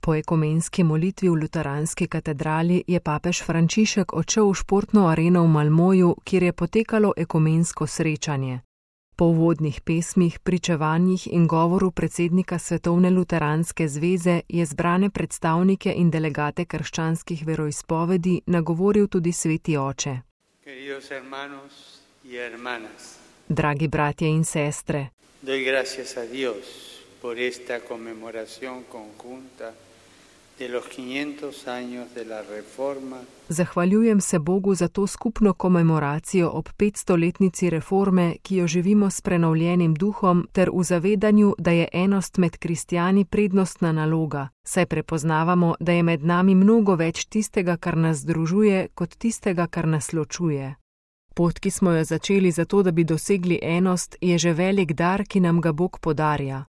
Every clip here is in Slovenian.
Po ekumenski molitvi v luteranski katedrali je papež Frančišek odšel v športno areno v Malmoju, kjer je potekalo ekumensko srečanje. Po uvodnih pesmih, pričevanjih in govoru predsednika Svetovne luteranske zveze je zbrane predstavnike in delegate krščanskih veroizpovedi nagovoril tudi sveti oče. Dragi bratje in sestre, doy gracias a Dios por esta conmemoración conjunta de los 500 años de la Reforma. Zahvaljujem se Bogu za to skupno komemoracijo ob 500-letnici reforme, ki jo živimo s prenovljenim duhom, ter v zavedanju, da je enost med kristjani prednostna naloga, saj prepoznavamo, da je med nami mnogo več tistega, kar nas združuje, kot tistega, kar nas ločuje. Pot, ki smo jo začeli zato, da bi dosegli enost, je že velik dar, ki nam ga Bog podarja.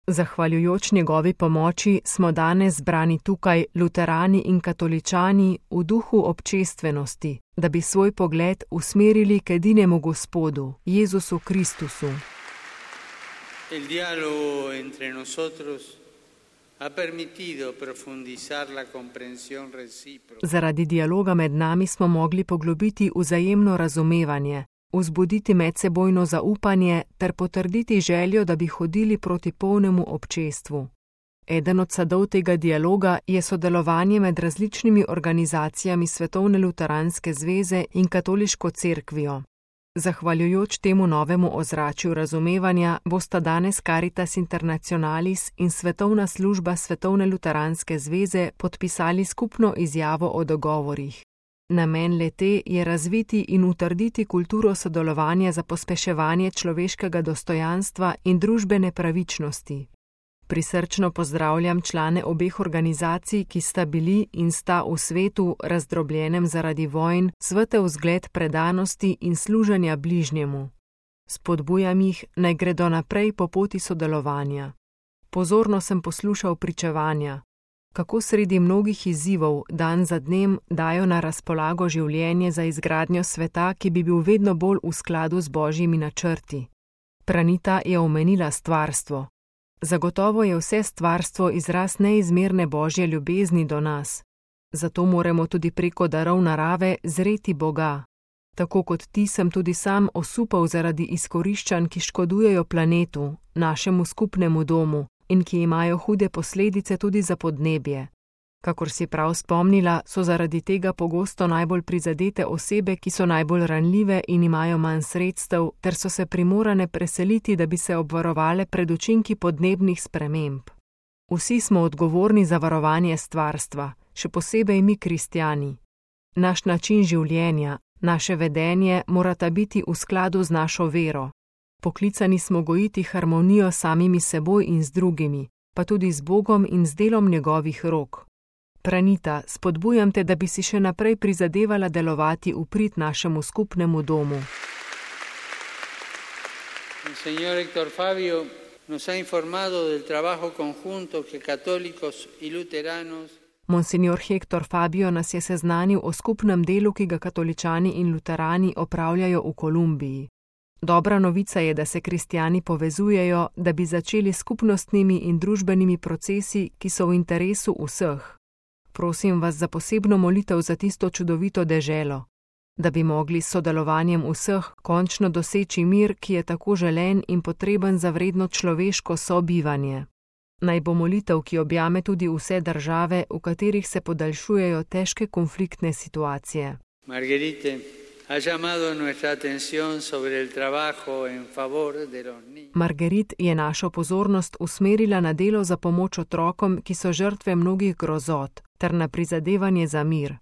Zahvaljujoč njegovi pomoči smo danes zbrani tukaj, luterani in katoličani, v duhu občestvenosti, da bi svoj pogled usmerili k edinemu Gospodu, Jezusu Kristusu. El diálogo entre nosotros ha permitido profundizar la comprensión recíproca. Zaradi dialoga med nami smo mogli poglobiti vzajemno razumevanje, vzbuditi medsebojno zaupanje ter potrditi željo, da bi hodili proti polnemu občestvu. Eden od sadov tega dialoga je sodelovanje med različnimi organizacijami Svetovne luteranske zveze in katoliško cerkvijo. Zahvaljujoč temu novemu ozračju razumevanja bosta danes Caritas Internationalis in Svetovna služba Svetovne luteranske zveze podpisali skupno izjavo o dogovorih. Namen le-te je razviti in utrditi kulturo sodelovanja za pospeševanje človeškega dostojanstva in družbene pravičnosti. Prisrčno pozdravljam člane obeh organizacij, ki sta bili in sta v svetu, razdrobljenem zaradi vojn, svetel vzgled predanosti in služenja bližnjemu. Spodbujam jih, naj gredo naprej po poti sodelovanja. Pozorno sem poslušal pričevanja, kako sredi mnogih izzivov dan za dnem dajo na razpolago življenje za izgradnjo sveta, ki bi bil vedno bolj v skladu z božjimi načrti. Pranita je omenila stvarstvo. Zagotovo je vse stvarstvo izraz neizmerne božje ljubezni do nas. Zato moramo tudi preko darov narave zreti Boga. Tako kot ti sem tudi sam osupal zaradi izkoriščanj, ki škodujejo planetu, našemu skupnemu domu, in ki imajo hude posledice tudi za podnebje. Kakor si prav spomnila, so zaradi tega pogosto najbolj prizadete osebe, ki so najbolj ranljive in imajo manj sredstev, ter so se primorane preseliti, da bi se obvarovale pred učinki podnebnih sprememb. Vsi smo odgovorni za varovanje stvarstva, še posebej mi kristjani. Naš način življenja, naše vedenje morata biti v skladu z našo vero. Poklicani smo gojiti harmonijo samimi seboj in z drugimi, pa tudi z Bogom in z delom njegovih rok. Pranita, spodbujam te, da bi si še naprej prizadevala delovati v prid našemu skupnemu domu. Señor Héctor Fabio nos ha informado del trabajo conjunto que católicos y luteranos. Monsignor Héctor Fabio nas je seznanil o skupnem delu, ki ga katoličani in luterani opravljajo v Kolumbiji. Dobra novica je, da se kristjani povezujejo, da bi začeli skupnostnimi in družbenimi procesi, ki so v interesu vseh. Prosim vas za posebno molitev za tisto čudovito deželo, da bi mogli s sodelovanjem vseh končno doseči mir, ki je tako želen in potreben za vredno človeško sobivanje. Naj bo molitev, ki objame tudi vse države, v katerih se podaljšujejo težke konfliktne situacije. Marguerite ha llamado nuestra atención sobre el trabajo en favor de los niños. Marguerite je našo pozornost usmerila na delo za pomoč otrokom, ki so žrtve mnogih grozot, ter na prizadevanje za mir.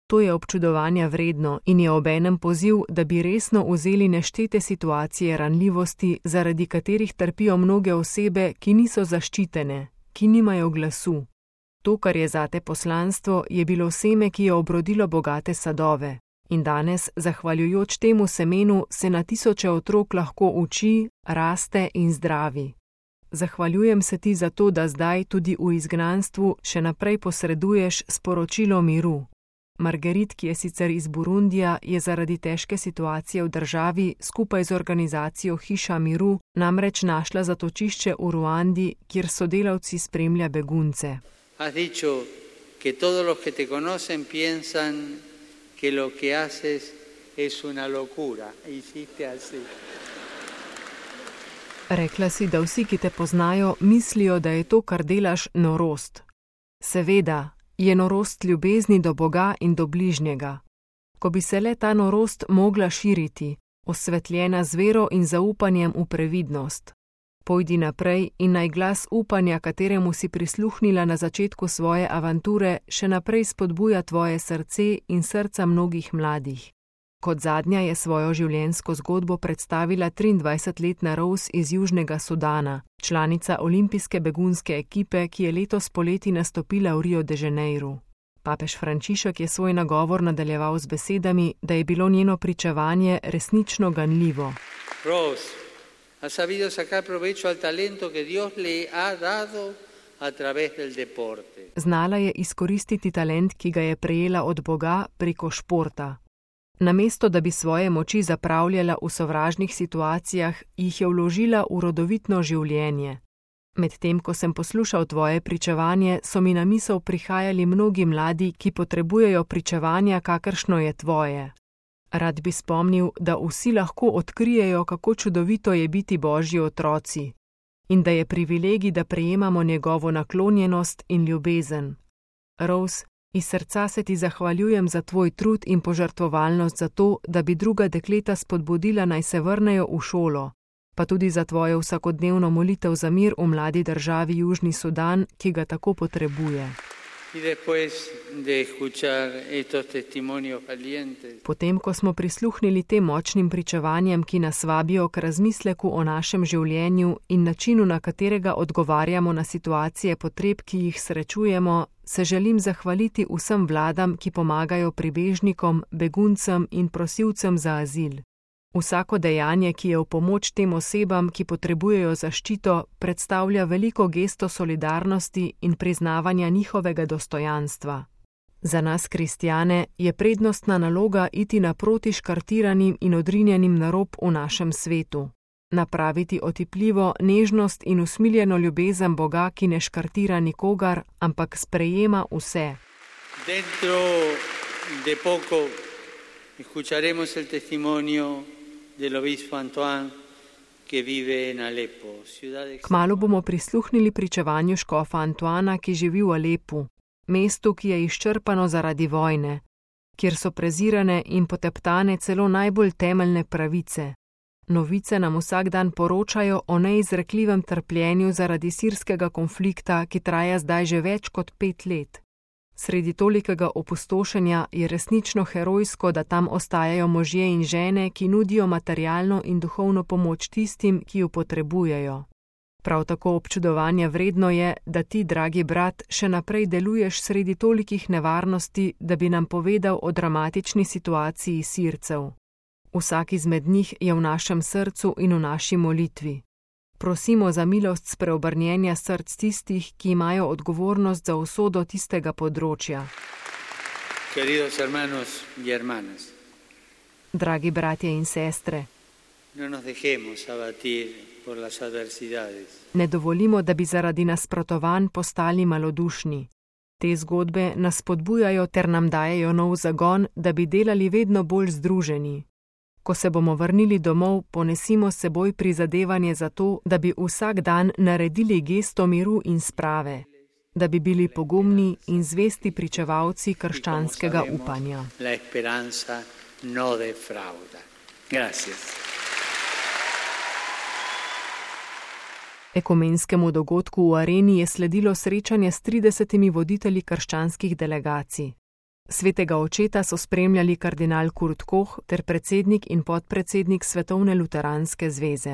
To je občudovanja vredno in je obenem poziv, da bi resno vzeli neštete situacije ranljivosti, zaradi katerih trpijo mnoge osebe, ki niso zaščitene, ki nimajo glasu. To, kar je zate poslanstvo, je bilo seme, ki je obrodilo bogate sadove. In danes, zahvaljujoč temu semenu, se na tisoče otrok lahko uči, raste in zdravi. Zahvaljujem se ti za to, da zdaj tudi v izgnanstvu še naprej posreduješ sporočilo miru. Marguerite, ki je sicer iz Burundija, je zaradi težke situacije v državi skupaj z organizacijo Hiša miru namreč našla zatočišče v Ruandi, kjer sodelavci spremlja begunce. Has dicho que todos los que te conocen piensan que lo que haces es una locura. Hiciste así. Rekla si, da vsi, ki te poznajo, mislijo, da je to, kar delaš, norost. Seveda, je norost ljubezni do Boga in do bližnjega. Ko bi se le ta norost mogla širiti, osvetljena z vero in zaupanjem v previdnost. Pojdi naprej in naj glas upanja, kateremu si prisluhnila na začetku svoje avanture, še naprej spodbuja tvoje srce in srca mnogih mladih. Kot zadnja je svojo življenjsko zgodbo predstavila 23-letna Rose iz Južnega Sudana, članica olimpijske begunske ekipe, ki je letos poleti nastopila v Rio de Janeiru. Papež Frančišek je svoj nagovor nadaljeval z besedami, da je bilo njeno pričevanje resnično ganljivo. Rose, ha sabido sacar provecho al talento que Dios le ha dado a través del deporte. Znala je izkoristiti talent, ki ga je prejela od Boga preko športa. Namesto, da bi svoje moči zapravljala v sovražnih situacijah, jih je vložila v rodovitno življenje. Medtem, ko sem poslušal tvoje pričevanje, so mi na misel prihajali mnogi mladi, ki potrebujejo pričevanja, kakršno je tvoje. Rad bi spomnil, da vsi lahko odkrijejo, kako čudovito je biti Božji otroci in da je privilegij, da prejemamo njegovo naklonjenost in ljubezen. Rose, iz srca se ti zahvaljujem za tvoj trud in požrtvovalnost za to, da bi druga dekleta spodbudila, naj se vrnejo v šolo, pa tudi za tvojo vsakodnevno molitev za mir v mladi državi Južni Sudan, ki ga tako potrebuje. Potem, ko smo prisluhnili tem močnim pričevanjem, ki nas vabijo k razmisleku o našem življenju in načinu, na katerega odgovarjamo na situacije potreb, ki jih srečujemo, se želim zahvaliti vsem vladam, ki pomagajo pribežnikom, beguncem in prosilcem za azil. Vsako dejanje, ki je v pomoč tem osebam, ki potrebujejo zaščito, predstavlja veliko gesto solidarnosti in priznavanja njihovega dostojanstva. Za nas, kristjane, je prednostna naloga iti naproti škartiranim in odrinjenim na rob v našem svetu. Napraviti otipljivo nežnost in usmiljeno ljubezen Boga, ki ne škartira nikogar, ampak sprejema vse. Dentro de poco escucharemos el testimonio del obispo Antoine, que vive en Alepo. Kmalu bomo prisluhnili pričevanju škofa Antoana, ki živi v Alepu, mestu, ki je izčrpano zaradi vojne, kjer so prezirane in poteptane celo najbolj temeljne pravice. Novice nam vsak dan poročajo o neizrekljivem trpljenju zaradi sirskega konflikta, ki traja zdaj že več kot 5 let. Sredi tolikega opustošenja je resnično herojsko, da tam ostajajo možje in žene, ki nudijo materialno in duhovno pomoč tistim, ki jo potrebujejo. Prav tako občudovanja vredno je, da ti, dragi brat, še naprej deluješ sredi tolikih nevarnosti, da bi nam povedal o dramatični situaciji Sircev. Vsak izmed njih je v našem srcu in v naši molitvi. Prosimo za milost spreobrnjenja src tistih, ki imajo odgovornost za usodo tistega področja. Queridos hermanos y hermanas, dragi bratje in sestre, no nos dejemos abatir por las adversidades. Ne dovolimo, da bi zaradi nasprotovanj postali malodušni. Te zgodbe nas spodbujajo ter nam dajejo nov zagon, da bi delali vedno bolj združeni. Ko se bomo vrnili domov, ponesimo s seboj prizadevanje za to, da bi vsak dan naredili gesto miru in sprave, da bi bili pogumni in zvesti pričevalci krščanskega upanja. La esperanza no defrauda. Gracias. Ekumenskemu dogodku v Areni je sledilo srečanje s 30 voditelji krščanskih delegacij. Svetega očeta so spremljali kardinal Kurt Koch ter predsednik in podpredsednik Svetovne luteranske zveze.